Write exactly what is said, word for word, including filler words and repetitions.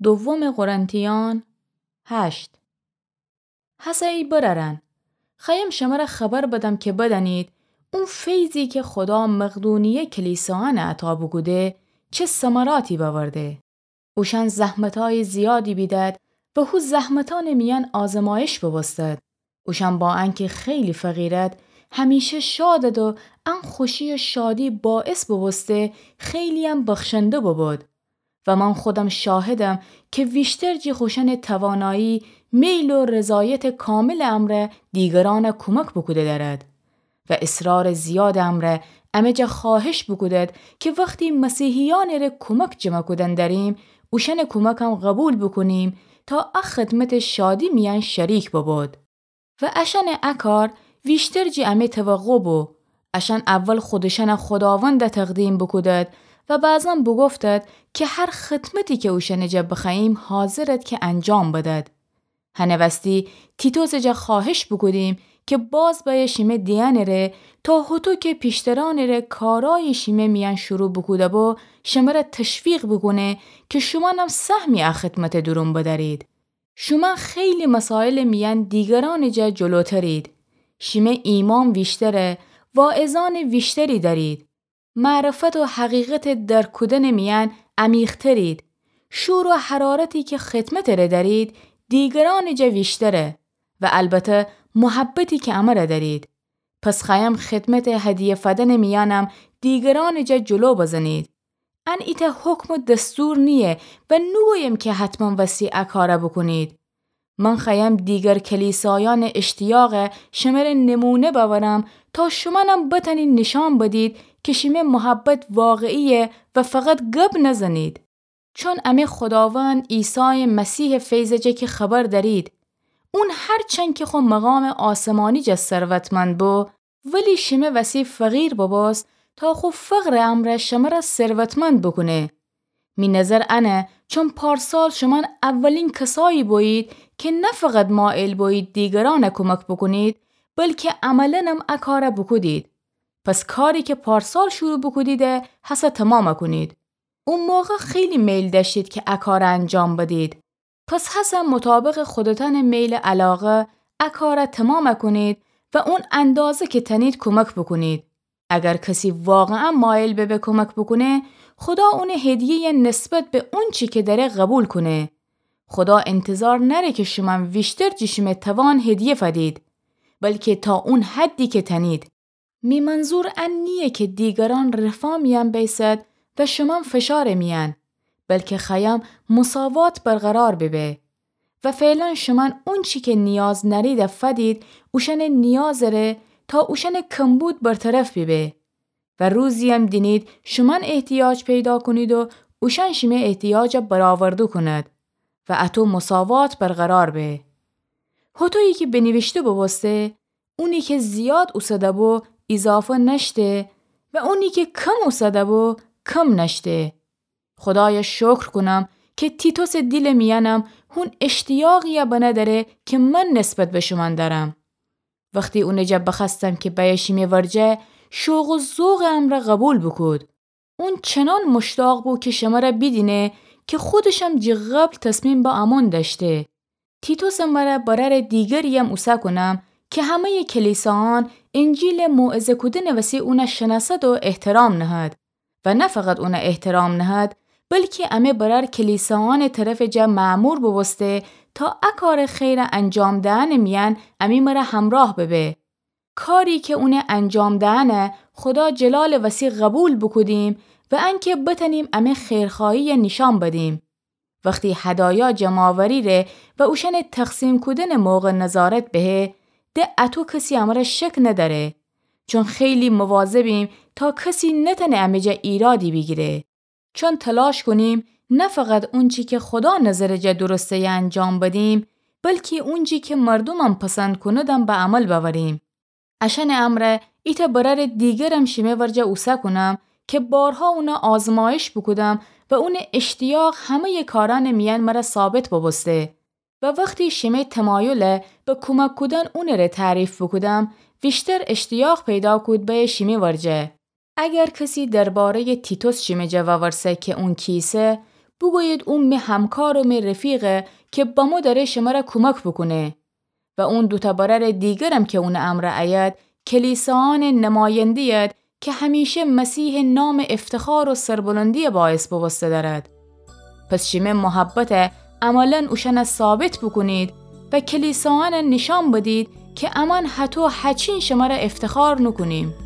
دوم قرنتیان هشت. هسه ای برأرأن، خوأیم شمره خبر بدم که بدأنید، او فیضی که خودا مقدونیه کلیسایأنه عطا بوکوده، چه ثمراتی بأورده. اوشأن زحمتأیٚ زیادی بیدد و هو زحمتأنٚ میأن آزمایش بوبوستد. اوشأن با انکه خیلی فقیرد، همیشه شادد و ان خوشی و شادی باعث بوبوسته خیلی‌یم بخشنده بوبود. و من خودم شاهدم که ویشتر جی خوشأنٚ توانایی، میل و رضایتٚ کاملٚ امرأ دیگرأنه کومک بوکوده دأرد. و اصرارٚ زیادٚ امرأ امه جا خواهش بوکودد که وختی مسیحیأنٚ ره کومک جمع کودن دأریم، اوشأنٚ کومکم قوبیل بوکونیم تا ا خدمتٚ شادی میأن شریک ببود. و اشأنٚ ا کار ویشتر جی امه توقع بو. اشأن اول خودشأنه خوداوند تقدیم بوکودد و بعضاً بوگفتد که هر خدمتی که اوشأنٚ جا بخوأییم حاضرد که انجام بدد. هنٚ وستی تیتوسٚ جا خواهش بوکودیم که باز بأیه شیمه دیأنٚ ره تا هوطو که پیشترأنٚ ره کارأیی شیمه میأن شروع بوکوده بو، شمره تشویق بوکونه که شومأنم سهمی ا خدمتٚ دورون بدأرید. شومأن خیلی مسایلٚ میأن دیگرأنٚ جا جلوترید. شیمه ایمأن ویشتره، واعظأنٚ ویشتری دأرید. معرفت و حقیقتٚ درک کودنٚ میأن عمیقترید. شور و حرارتی که خدمتٚ ره دأرید، دیگرأنٚ جا ویشتره. و البته محبتی که امره دأرید. پس خوأیم خدمتٚ هدیه فدنٚ میأنم دیگرأنٚ جا جلو بزنید. ان ایتأ حکم و دستور نییه و نوگویم که حتماً وستی ا کاره بوکونید. من خوأیم دیگر کلیسایأنٚ اشتیاقه شمره نمونه بأورم تا شومأنم بتأنید نیشأن بدید که شیمه محبت واقعییه و فقط گب نزنید. چون امه خوداوند عیسایٚ مسیحٚ فیضٚ جا که خبر دأرید، اون هرچند که خو مقامٚ آسمانی جا ثروتمند بو، ولی شیمه وسی فقیر بوبوست تا خو فقرٚ امرأ شمره ثروتمند بوکونه. می نظر انه، چون پارسال شومأن اولین کسایی بویید که نه فقط مایل بویید دیگرأنه کومک بوکونید، بلکه عملاًم ا کاره بوکودید. پس کاری که پارسال شروع بوکودیده، هسه تومام کونید. او موقع خیلی میل دأشتید که ا کاره انجام بدید. پس هسه مطابقٚ خودتأنٚ میل و علاقه ا کاره تومام کونید و اون اندازه که تأنید کومک بوکونید. اگر کسی واقعاً مایل ببه کومک بوکونه، خودا اونٚ هدیه‌یه نسبت به اونچی که دأره قوبیل کونه. خودا انتظار نأره که شومأن ویشتر جی شیمه توان هدیه فدید، بلکه تا اون حدی که تأنید. می منظور ان نییه که دیگرأن رفاه میأن بیسد و شومأن فشارٚ میأن، بلکه خوأیم مساوات برقرار ببه. و فعلاً شومأن اونچی که نیاز نأرید فدید اوشأنٚ نیازٚ ره تا اوشأنٚ کمبود برطرف بیبه. و روزییم دینید شومأن احتیاج پیدا کونید و اوشأن شیمه احتیاجه برآورده کونید و اطو مساوات برقرار به. هوطویی که بینیویشته بوبوسته، اونی که زیاد اوسده بو، ایضافه نأشته و اونی که کم اوسده بو، کم نأشته. خودایه شکر کونم که تیتوسٚ دیلٚ میأنم هون اشتیاقیی بنه دأره که من نسبت به شومأن دأرم. وختی اونٚ جا بخوأستم که بأیه شیمه ورجه، شوق و ذوقٚ امرأ قوبیل بوکود. اون چنان مشتاق بو که شمره بیدینه که خودشم جٚه قبل تصمیم به امون دأشته. تیتوسٚ مره برأرٚ دیگرییم اوسه کونم که همه‌یٚ کلیسایأن انجیلٚ موعظه کودنٚ وسی اونه شنأسد و احترام نهد. و نه فقط اونه احترام نهد، بلکی امه برأر کلیسایأنٚ طرفٚ جا مأمور بوبوسته تا ا کارٚ خیره انجام دهنٚ میأن امی مره همراه ببه. کاری که اونه انجام دهنه خودا جلالٚ وسی قوبیل بوکودیم و انکه بتأنیم امه خیرخواهیی نیشأن بدیم. وختی هدایا جمع‌آوری ره و اوشأنٚ تقسیم کودنٚ موقع نظارت بهه، ده اطو کسی امره شک ندأره. چون خیلی مواظبیم تا کسی نتأنه امه جا ایرادی بیگیره. چون تلاش کونیم نه فقط اونچی که خودا نظرٚ جا درسته‌یه انجام بدیم، بلکی اونچی که مردومم پسند کوندم به عمل بأوریم. اشأنٚ امرأ ایتأ برأرٚ دیگرم شیمه ورجه اوسه کونم که بارها اونه آزمایش بوکودم و اونٚ اشتیاق همه‌یٚ کارأنٚ میأن مره ثابت بوبوسته و وختی شیمه تمایله به کومک کودن اونٚ ره تعریف بوکودم، ویشتر اشتیاق پیدا کود بأیه شیمه ورجه. اگر کسی درباره‌یٚ تیتوس شیمه جا وورسه که اون کیسه، بوگویید او می همکار و می رفیقه که بمو دره شمره کمک بوکونه. و اون دوتأ برأرٚ دیگرم که اونٚ امرأ ایید، کلیسایأنٚ نماینده‌ید که همیشه مسیحٚ نامٚ افتخار و سربلندی باعث بوبوسته دأرد. پس شیمه محبته عملاً اوشأنه ثابت بوکونید و کلیسایأنه نیشأن بدید که امأن هطو هچین شمره افتخار نوکونیم.